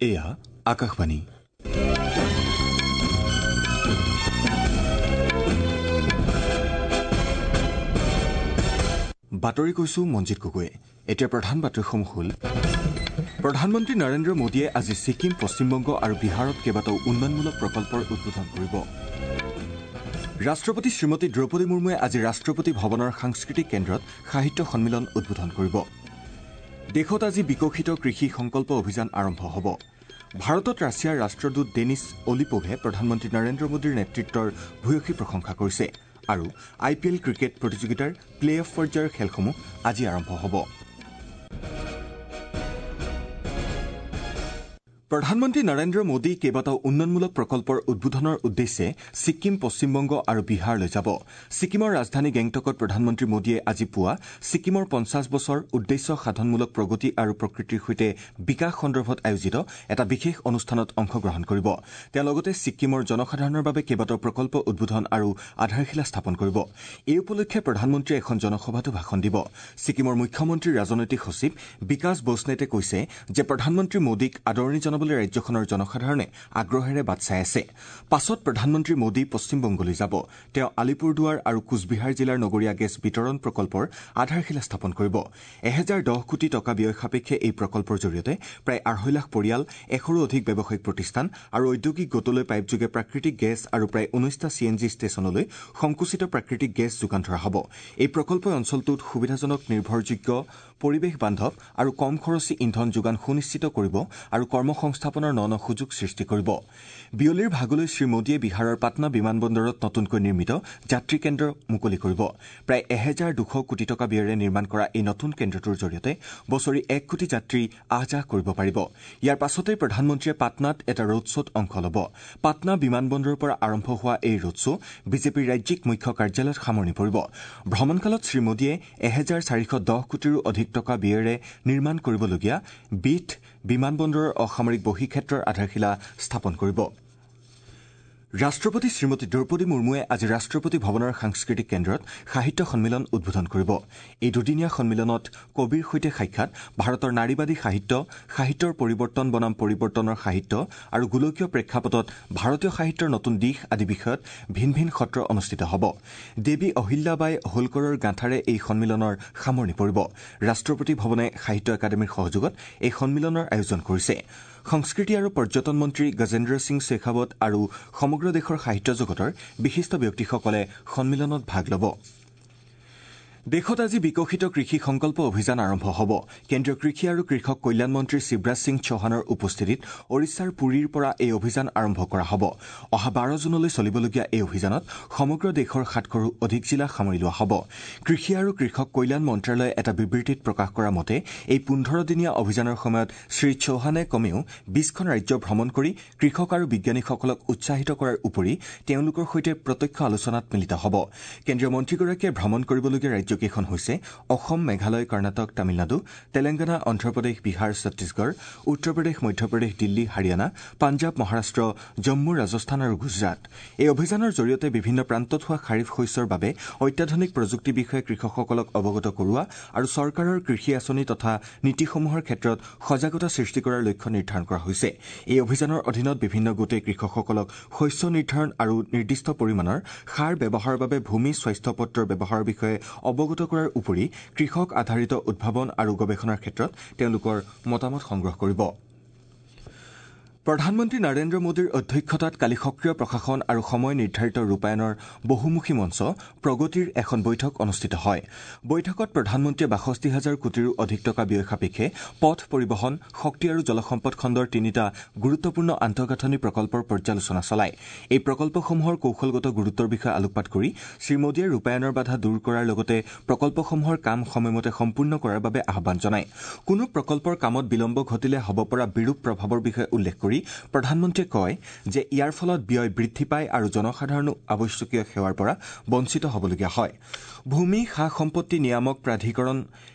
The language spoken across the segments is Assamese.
এয়া আকাশবাণী। বাতৰি কৈছো মঞ্জিত গগৈয়ে। এতিয়া প্ৰধান বাতৰিসমূহ হ'ল: প্ৰধানমন্ত্ৰী নৰেন্দ্ৰ মোদীয়ে আজি ছিকিম, পশ্চিমবংগ আৰু বিহাৰত কেইবাটাও উন্নয়নমূলক প্ৰকল্পৰ উদ্বোধন কৰিব। ৰাষ্ট্ৰপতি শ্ৰীমতী দ্ৰৌপদী মুৰ্মুৱে আজি ৰাষ্ট্ৰপতি ভৱনৰ সাংস্কৃতিক কেন্দ্ৰত সাহিত্য সন্মিলন উদ্বোধন কৰিব। দেশত আজি বিকশিত কৃষি সংকল্প অভিযান আৰম্ভ হ'ব। ভাৰতত ৰাছিয়াৰ ৰাষ্ট্ৰদূত ডেনিছ অলিপোভে প্ৰধানমন্ত্ৰী নৰেন্দ্ৰ মোদীৰ নেতৃত্বৰ ভূয়সী প্ৰশংসা কৰিছে। আৰু আই পি এল ক্ৰিকেট প্ৰতিযোগিতাৰ প্লে অফ পৰ্যায়ৰ খেলসমূহ আজি আৰম্ভ হ'ব। প্ৰধানমন্ত্ৰী নৰেন্দ্ৰ মোদী কেইবাটাও উন্নয়নমূলক প্ৰকল্পৰ উদ্বোধনৰ উদ্দেশ্যে ছিকিম, পশ্চিমবংগ আৰু বিহাৰলৈ যাব। ছিকিমৰ ৰাজধানী গেংটকত প্ৰধানমন্ত্ৰী মোদীয়ে আজি পুৱা ছিকিমৰ ৫০ বছৰ উদ্দেশ্য সাধনমূলক প্ৰগতি আৰু প্ৰকৃতিৰ সৈতে বিকাশ সন্দৰ্ভত আয়োজিত এটা বিশেষ অনুষ্ঠানত অংশগ্ৰহণ কৰিব। তেওঁ লগতে ছিকিমৰ জনসাধাৰণৰ বাবে কেইবাটাও প্ৰকল্প উদ্বোধন আৰু আধাৰশিলা স্থাপন কৰিব। এই উপলক্ষে প্ৰধানমন্ত্ৰীয়ে এখন জনসভাতো ভাষণ দিব। ছিকিমৰ মুখ্যমন্ত্ৰীৰ ৰাজনৈতিক সচিব বিকাশ বসনেটে কৈছে যে প্ৰধানমন্ত্ৰী মোদীক আদৰণি জনাবলৈ ৰাজ্যখনৰ জনসাধাৰণে আগ্ৰহেৰে বাট চাই আছে। পাছত প্ৰধানমন্ত্ৰী মোদী পশ্চিমবংগলৈ যাব। তেওঁ আলিপুৰদুৱাৰ আৰু কোচবিহাৰ জিলাৰ নগৰীয়া গেছ বিতৰণ প্ৰকল্পৰ আধাৰশিলা স্থাপন কৰিব। ১০১০ কোটি টকা ব্যয় সাপেক্ষে এই প্ৰকল্পৰ জৰিয়তে প্ৰায় ২.৫ লাখ পৰিয়াল, ১০০ৰো অধিক ব্যৱসায়িক প্ৰতিষ্ঠান আৰু ঔদ্যোগিক গোটলৈ পাইপযোগে প্ৰাকৃতিক গেছ আৰু প্ৰায় ১৯টা চি এন জি ষ্টেচনলৈ সংকুচিত প্ৰাকৃতিক গেছ যোগান ধৰা হ'ব। এই প্ৰকল্পই অঞ্চলটোত সুবিধাজনক, নিৰ্ভৰযোগ্য, পৰিৱেশ বান্ধৱ আৰু কম খৰচী ইন্ধন যোগান সুনিশ্চিত কৰিব আৰু কৰ্মসংস্থাপনৰ ন ন সুযোগ সৃষ্টি কৰিব। বিয়লিৰ ভাগলৈ শ্ৰীমোদীয়ে বিহাৰৰ পাটনা বিমানবন্দৰত নতুনকৈ নিৰ্মিত যাত্ৰী কেন্দ্ৰ মুকলি কৰিব। প্ৰায় ১২০০ কোটি টকা ব্যয়েৰে নিৰ্মাণ কৰা এই নতুন কেন্দ্ৰটোৰ জৰিয়তে বছৰি ১ কোটি যাত্ৰী আহ যাহ কৰিব পাৰিব। ইয়াৰ পাছতেই প্ৰধানমন্ত্ৰীয়ে পাটনাত এটা ৰোড শ্ব'ত অংশ ল'ব। পাটনা বিমানবন্দৰৰ পৰা আৰম্ভ হোৱা এই ৰোড শ্ব' বিজেপিৰ ৰাজ্যিক মুখ্য কাৰ্যালয়ত সামৰণি পৰিব। ভ্ৰমণকালত শ্ৰীমোদীয়ে ১৪১০ কোটিৰো অধিক টকা ব্যয়েৰে নিৰ্মাণ কৰিবলগীয়া বিঠ বিমানবন্দৰৰ অসামৰিক বহিঃক্ষেত্ৰৰ আধাৰশিলা স্থাপন কৰিব। ৰাষ্ট্ৰপতি শ্ৰীমতী দ্ৰৌপদী মুৰ্মুৱে আজি ৰাষ্ট্ৰপতি ভৱনৰ সাংস্কৃতিক কেন্দ্ৰত সাহিত্য সন্মিলন উদ্বোধন কৰিব। এই দুদিনীয়া সন্মিলনত কবিৰ সৈতে সাক্ষাৎ, ভাৰতৰ নাৰীবাদী সাহিত্য, সাহিত্যৰ পৰিৱৰ্তন বনাম পৰিৱৰ্তনৰ সাহিত্য আৰু গোলকীয় প্ৰেক্ষাপটত ভাৰতীয় সাহিত্যৰ নতুন দিশ আদি বিষয়ত ভিন ভিন সত্ৰ অনুষ্ঠিত হ'ব। দেৱী অহিল্যাবাই হোলকৰৰ গাঁথাৰে এই সন্মিলনৰ সামৰণি পৰিব। ৰাষ্ট্ৰপতি ভৱনে সাহিত্য একাডেমীৰ সহযোগত এই সন্মিলনৰ আয়োজন কৰিছে। সংস্কৃতি আৰু পৰ্যটন মন্ত্ৰী গজেন্দ্ৰ সিং শেখাৱত আৰু সমগ্ৰ দেশৰ সাহিত্য জগতৰ বিশিষ্ট ব্যক্তিসকলে সন্মিলনত ভাগ ল'ব। দেশত আজি বিকশিত কৃষি সংকল্প অভিযান আৰম্ভ হ'ব। কেন্দ্ৰীয় কৃষি আৰু কৃষক কল্যাণ মন্ত্ৰী শিৱৰাজ সিং চৌহানৰ উপস্থিতিত ওড়িশাৰ পুৰীৰ পৰা এই অভিযান আৰম্ভ কৰা হ'ব। অহা ১২ জুনলৈ চলিবলগীয়া এই অভিযানত সমগ্ৰ দেশৰ ৭০০ৰো অধিক জিলা সামৰি লোৱা হ'ব। কৃষি আৰু কৃষক কল্যাণ মন্ত্ৰালয়ে এটা বিবৃতিত প্ৰকাশ কৰা মতে এই ১৫ দিনীয়া অভিযানৰ সময়ত শ্ৰী চৌহানে কমেও ২০খন ৰাজ্য ভ্ৰমণ কৰি কৃষক আৰু বিজ্ঞানীসকলক উৎসাহিত কৰাৰ উপৰি তেওঁলোকৰ সৈতে প্ৰত্যক্ষ আলোচনাত মিলিত হ'ব। কেন্দ্ৰীয় মন্ত্ৰীগৰাকীয়ে ভ্ৰমণ কৰিবলগীয়া ৰাজ্য কেইখন হৈছে অসম, মেঘালয়, কৰ্ণাটক, তামিলনাডু, তেলেংগানা, অন্ধ্ৰপ্ৰদেশ, বিহাৰ, ছত্তীশগড়, উত্তৰ প্ৰদেশ, মধ্যপ্ৰদেশ, দিল্লী, হাৰিয়ানা, পাঞ্জাৱ, মহাৰাষ্ট্ৰ, জম্মু, ৰাজস্থান আৰু গুজৰাট। এই অভিযানৰ জৰিয়তে বিভিন্ন প্ৰান্তত হোৱা খাৰিফ শস্যৰ বাবে অত্যাধুনিক প্ৰযুক্তি বিষয়ে কৃষকসকলক অৱগত কৰোৱা আৰু চৰকাৰৰ কৃষি আঁচনি তথা নীতিসমূহৰ ক্ষেত্ৰত সজাগতা সৃষ্টি কৰাৰ লক্ষ্য নিৰ্ধাৰণ কৰা হৈছে। এই অভিযানৰ অধীনত বিভিন্ন গোটে কৃষকসকলক শস্য নিৰ্ধাৰণ আৰু নিৰ্দিষ্ট পৰিমাণৰ সাৰ ব্যৱহাৰৰ বাবে ভূমি স্বাস্থ্য পত্ৰৰ ব্যৱহাৰৰ বিষয়ে অৱগত কৰাৰ উপৰি কৃষক আধাৰিত উদ্ভাৱন আৰু গৱেষণাৰ ক্ষেত্ৰত তেওঁলোকৰ মতামত সংগ্ৰহ কৰিব। প্ৰধানমন্ত্ৰী নৰেন্দ্ৰ মোদীৰ অধ্যক্ষতাত কালি সক্ৰিয় প্ৰশাসন আৰু সময় নিৰ্ধাৰিত ৰূপায়ণৰ বহুমুখী মঞ্চ প্ৰগতিৰ এখন বৈঠক অনুষ্ঠিত হয়। বৈঠকত প্ৰধানমন্ত্ৰীয়ে ৬২ হাজাৰ কোটিৰো অধিক টকা ব্যয় সাপেক্ষে পথ পৰিবহণ, শক্তি আৰু জলসম্পদ খণ্ডৰ তিনিটা গুৰুত্বপূৰ্ণ আন্তঃগাঁথনি প্ৰকল্পৰ পৰ্যালোচনা চলায়। এই প্ৰকল্পসমূহৰ কৌশলগত গুৰুত্বৰ বিষয়ে আলোকপাত কৰি শ্ৰীমোদীয়ে ৰূপায়ণৰ বাধা দূৰ কৰাৰ লগতে প্ৰকল্পসমূহৰ কাম সময়মতে সম্পূৰ্ণ কৰাৰ বাবে আহ্বান জনায়। কোনো প্ৰকল্পৰ কামত বিলম্ব ঘটিলে হ'ব পৰা বিৰূপ প্ৰভাৱৰ বিষয়ে উল্লেখ কৰি প্ৰধানমন্ত্ৰীয়ে কয় যে ইয়াৰ ফলত ব্যয় বৃদ্ধি পায় আৰু জনসাধাৰণো আৱশ্যকীয় সেৱাৰ পৰা বঞ্চিত হ'বলগীয়া হয়। ভূমি সা সম্পত্তি নিয়ামক প্ৰাধিকৰণ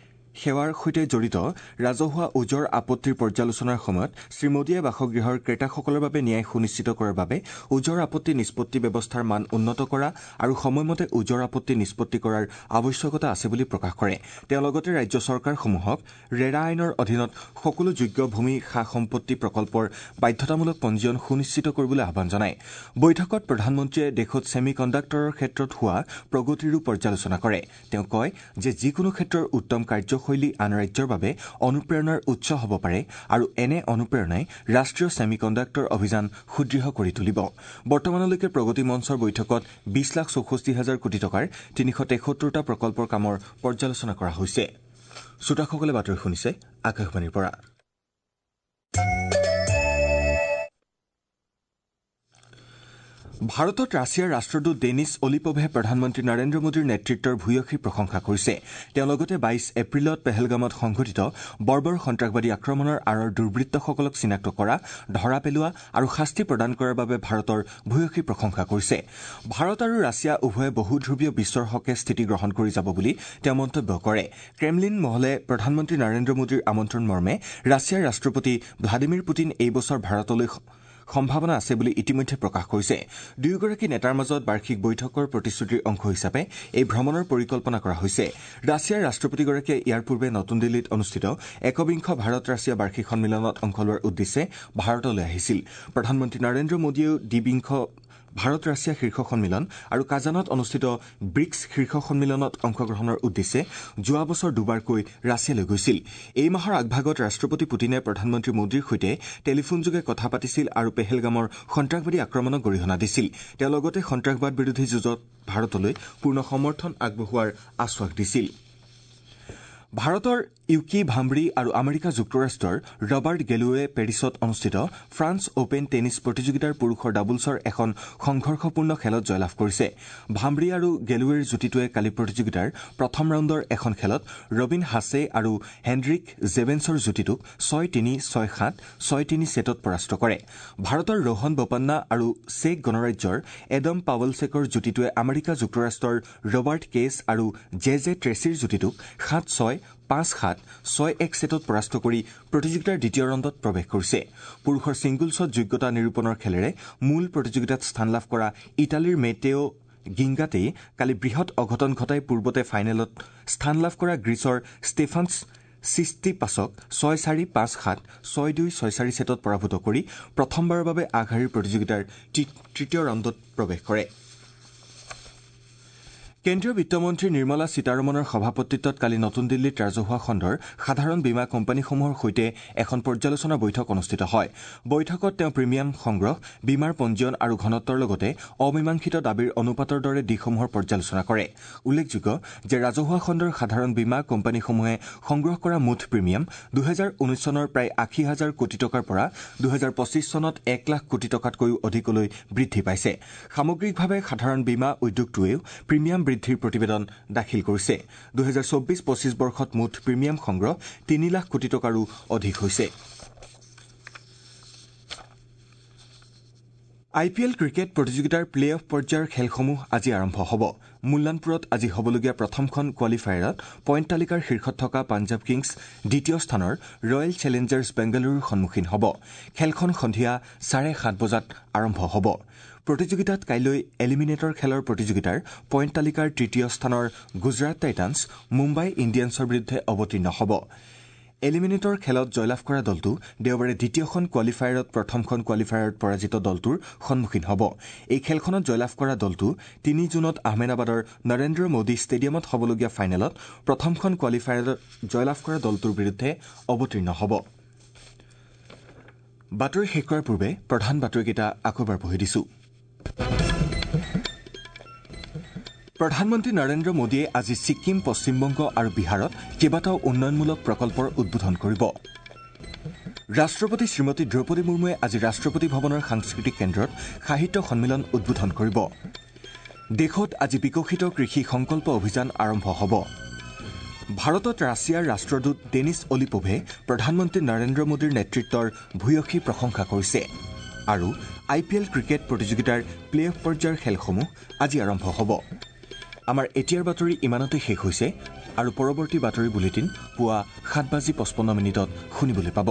সেৱাৰ সৈতে জড়িত ৰাজহুৱা ওজৰ আপত্তিৰ পৰ্যালোচনাৰ সময়ত শ্ৰীমোদীয়ে বাসগৃহৰ ক্ৰেতাসকলৰ বাবে ন্যায় সুনিশ্চিত কৰাৰ বাবে ওজৰ আপত্তি নিষ্পত্তি ব্যৱস্থাৰ মান উন্নত কৰা আৰু সময়মতে ওজৰ আপত্তি নিষ্পত্তি কৰাৰ আৱশ্যকতা আছে বুলি প্ৰকাশ কৰে। তেওঁ লগতে ৰাজ্য চৰকাৰসমূহক ৰেৰা আইনৰ অধীনত সকলো যোগ্য ভূমি সা সম্পত্তি প্ৰকল্পৰ বাধ্যতামূলক পঞ্জীয়ন সুনিশ্চিত কৰিবলৈ আহ্বান জনায়। বৈঠকত প্ৰধানমন্ত্ৰীয়ে দেশত ছেমি কণ্ডাক্টৰৰ ক্ষেত্ৰত হোৱা প্ৰগতিৰো পৰ্যালোচনা কৰে। তেওঁ কয় যে যিকোনো ক্ষেত্ৰৰ উত্তম কাৰ্যশৈলী আন ৰাজ্যৰ বাবে অনুপ্ৰেৰণাৰ উৎস হ'ব পাৰে আৰু এনে অনুপ্ৰেৰণাই ৰাষ্ট্ৰীয় ছেমি কণ্ডাক্টৰ অভিযান সুদৃঢ় কৰি তুলিব। বৰ্তমানলৈকে প্ৰগতি মঞ্চৰ বৈঠকত ২০,৬৪,০০০ কোটি টকাৰ ৩৭৩টা প্ৰকল্পৰ কামৰ পৰ্যালোচনা কৰা হৈছে। শ্ৰোতাসকলে বাতৰি শুনিছে আকাশবাণীৰ পৰা। ভাৰতত ৰাছিয়াৰ ৰাষ্ট্ৰদূত ডেনিছ অলিপভে প্ৰধানমন্ত্ৰী নৰেন্দ্ৰ মোদীৰ নেতৃত্বৰ ভূয়সী প্ৰশংসা কৰিছে। তেওঁ লগতে ২২ এপ্ৰিলত পেহেলগামত সংঘটিত বৰ্বৰ সন্ত্ৰাসবাদী আক্ৰমণৰ আঁৰৰ দুৰ্বৃত্তসকলক চিনাক্ত কৰা, ধৰা পেলোৱা আৰু শাস্তি প্ৰদান কৰাৰ বাবে ভাৰতৰ ভূয়সী প্ৰশংসা কৰিছে। ভাৰত আৰু ৰাছিয়া উভয়ে বহুধ্ৰুৱীয় বিশ্বৰ হকে স্থিতি গ্ৰহণ কৰি যাব বুলি তেওঁ মন্তব্য কৰে। ক্ৰেমলিন মহলে প্ৰধানমন্ত্ৰী নৰেন্দ্ৰ মোদীৰ আমন্ত্ৰণ মৰ্মে ৰাছিয়াৰ ৰাষ্ট্ৰপতি ভ্লাদিমিৰ পুটিন এই বছৰ ভাৰতলৈ সম্ভাৱনা আছে বুলি ইতিমধ্যে প্ৰকাশ কৰিছে। দুয়োগৰাকী নেতাৰ মাজত বাৰ্ষিক বৈঠকৰ প্ৰতিশ্ৰুতিৰ অংশ হিচাপে এই ভ্ৰমণৰ পৰিকল্পনা কৰা হৈছে। ৰাছিয়াৰ ৰাষ্ট্ৰপতিগৰাকীয়ে ইয়াৰ পূৰ্বে নতুন দিল্লীত অনুষ্ঠিত একবিংশ ভাৰত ৰাছিয়া বাৰ্ষিক সন্মিলনত অংশ লোৱাৰ উদ্দেশ্যে ভাৰতলৈ আহিছিল। প্ৰধানমন্ত্ৰী নৰেন্দ্ৰ মোদীয়েও দ্বিবিংশ ভাৰত ৰাছিয়া শীৰ্ষ সন্মিলন আৰু কাজানত অনুষ্ঠিত ব্ৰিক্স শীৰ্ষ সন্মিলনত অংশগ্ৰহণৰ উদ্দেশ্যে যোৱা বছৰ দুবাৰকৈ ৰাছিয়ালৈ গৈছিল। এই মাহৰ আগভাগত ৰাষ্ট্ৰপতি পুটিনে প্ৰধানমন্ত্ৰী মোদীৰ সৈতে টেলিফোনযোগে কথা পাতিছিল আৰু পেহেলগামৰ সন্ত্ৰাসবাদী আক্ৰমণক গৰিহণা দিছিল। তেওঁ লগতে সন্ত্ৰাসবাদ বিৰোধী যুঁজত ভাৰতলৈ পূৰ্ণ সমৰ্থন আগবঢ়োৱাৰ আশ্বাস দিছিল। ভাৰতৰ ইউকি ভাম্ব্ৰি আৰু আমেৰিকা যুক্তৰাষ্ট্ৰৰ ৰবাৰ্ট গেলুৱে পেৰিছত অনুষ্ঠিত ফ্ৰান্স অপেন টেনিছ প্ৰতিযোগিতাৰ পুৰুষৰ ডাবলছৰ এখন সংঘৰ্ষপূৰ্ণ খেলত জয়লাভ কৰিছে। ভাম্ব্ৰি আৰু গেলুৱেৰ যুটিটোৱে কালি প্ৰতিযোগিতাৰ প্ৰথম ৰাউণ্ডৰ এখন খেলত ৰবীন হাছে আৰু হেণ্ডৰিক জেভেন্সৰ যুটিটোক ৬-৩, ৬-৭, ৬-৩ ছেটত পৰাস্ত কৰে। ভাৰতৰ ৰোহন বোপান্না আৰু চেক গণৰাজ্যৰ এডম পাৱলছেকৰ যুটিটোৱে আমেৰিকা যুক্তৰাষ্ট্ৰৰ ৰবাৰ্ট কেছ আৰু জে জে ট্ৰেছিৰ যুটিটোক ৭-৬, ৫-৭, ৬-১ ছেটত পৰাস্ত কৰি প্ৰতিযোগিতাৰ দ্বিতীয় ৰাউণ্ডত প্ৰৱেশ কৰিছে। পুৰুষৰ ছিংগলছত যোগ্যতা নিৰূপণৰ খেলেৰে মূল প্ৰতিযোগিতাত স্থান লাভ কৰা ইটালীৰ মেটেঅ গিংগাটেই কালি বৃহৎ অঘটন ঘটাই পূৰ্বতে ফাইনেলত স্থান লাভ কৰা গ্ৰীচৰ ষ্টেফানছ চিষ্টিপাছক ৬-৪, ৫-৭, ৬-২, ৬-৪ ছেটত পৰাভূত কৰি প্ৰথমবাৰৰ বাবে আগশাৰীৰ প্ৰতিযোগিতাৰ তৃতীয় ৰাউণ্ডত প্ৰৱেশ কৰে। কেন্দ্ৰীয় বিত্তমন্ত্ৰী নিৰ্মলা সীতাৰমণৰ সভাপতিত্বত কালি নতুন দিল্লীত ৰাজহুৱা খণ্ডৰ সাধাৰণ বীমা কোম্পানীসমূহৰ সৈতে এখন পৰ্যালোচনা বৈঠক অনুষ্ঠিত হয়। বৈঠকত তেওঁ প্ৰিমিয়াম সংগ্ৰহ, বীমাৰ পঞ্জীয়ন আৰু ঘনত্বৰ লগতে অমীমাংসিত দাবীৰ অনুপাতৰ দৰে দিশসমূহৰ পৰ্যালোচনা কৰে। উল্লেখযোগ্য যে ৰাজহুৱা খণ্ডৰ সাধাৰণ বীমা কোম্পানীসমূহে সংগ্ৰহ কৰা মুঠ প্ৰিমিয়াম ২০১৯ চনৰ প্ৰায় ৮০ হাজাৰ কোটি টকাৰ পৰা ২০২৫ চনত ১ লাখ কোটি টকাতকৈও অধিকলৈ বৃদ্ধি পাইছে। সামগ্ৰিকভাৱে সাধাৰণ বীমা উদ্যোগটোৱেও প্ৰিমিয়াম বৃদ্ধিৰ প্ৰতিবেদন দাখিল কৰিছে। ২০২৪-২৫ বৰ্ষত মুঠ প্ৰিমিয়াম সংগ্ৰহ ৩ লাখ কোটি টকাৰো অধিক হৈছে। আই পি এল ক্ৰিকেট প্ৰতিযোগিতাৰ প্লে অফ পৰ্যায়ৰ খেলসমূহ আজি আৰম্ভ হ'ব। মুল্লানপুৰত আজি হ'বলগীয়া প্ৰথমখন কোৱালিফায়াৰত পইণ্ট তালিকাৰ শীৰ্ষত থকা পাঞ্জাৱ কিংছ দ্বিতীয় স্থানৰ ৰয়েল চেলেঞ্জাৰ্ছ বেংগালুৰুৰ সন্মুখীন হ'ব। খেলখন সন্ধিয়া ৭:৩০ বজাত আৰম্ভ হ'ব। প্ৰতিযোগিতাত কাইলৈ এলিমিনেটৰ খেলৰ প্ৰতিযোগিতাৰ পইণ্ট তালিকাৰ তৃতীয় স্থানৰ গুজৰাট টাইটানছ মুম্বাই ইণ্ডিয়ানছৰ বিৰুদ্ধে অৱতীৰ্ণ হ'ব। এলিমিনেটৰ খেলত জয়লাভ কৰা দলটো দেওবাৰে দ্বিতীয়খন কোৱালিফায়াৰত প্ৰথমখন কোৱালিফায়াৰত পৰাজিত দলটোৰ সন্মুখীন হ'ব। এই খেলখনত জয়লাভ কৰা দলটো ৩ জুনত আহমেদাবাদৰ নৰেন্দ্ৰ মোদী ষ্টেডিয়ামত হ'বলগীয়া ফাইনেলত প্ৰথমখন কোৱালিফায়াৰত জয়লাভ কৰা দলটোৰ বিৰুদ্ধে অৱতীৰ্ণ হ'ব। বাতৰি শেষ কৰাৰ পূৰ্বে প্ৰধান বাতৰিকেইটা আকৌ এবাৰ পঢ়ি দিছো। প্ৰধানমন্ত্ৰী নৰেন্দ্ৰ মোদীয়ে আজি ছিকিম, পশ্চিমবংগ আৰু বিহাৰত কেইবাটাও উন্নয়নমূলক প্ৰকল্পৰ উদ্বোধন কৰিব। ৰাষ্ট্ৰপতি শ্ৰীমতী দ্ৰৌপদী মুৰ্মুৱে আজি ৰাষ্ট্ৰপতি ভৱনৰ সাংস্কৃতিক কেন্দ্ৰত সাহিত্য সন্মিলন উদ্বোধন কৰিব। দেশত আজি বিকশিত কৃষি সংকল্প অভিযান আৰম্ভ হ'ব। ভাৰতত ৰাছিয়াৰ ৰাষ্ট্ৰদূত ডেনিছ অলিপভে প্ৰধানমন্ত্ৰী নৰেন্দ্ৰ মোদীৰ নেতৃত্বৰ ভূয়সী প্ৰশংসা কৰিছে। আৰু আই পি এল ক্ৰিকেট প্ৰতিযোগিতাৰ প্লে অফ পৰ্যায়ৰ খেলসমূহ আজি আৰম্ভ হ'ব। আমাৰ এতিয়াৰ বাতৰি ইমানতে শেষ হৈছে আৰু পৰৱৰ্তী বাতৰি বুলেটিন পুৱা 7:55 শুনিবলৈ পাব।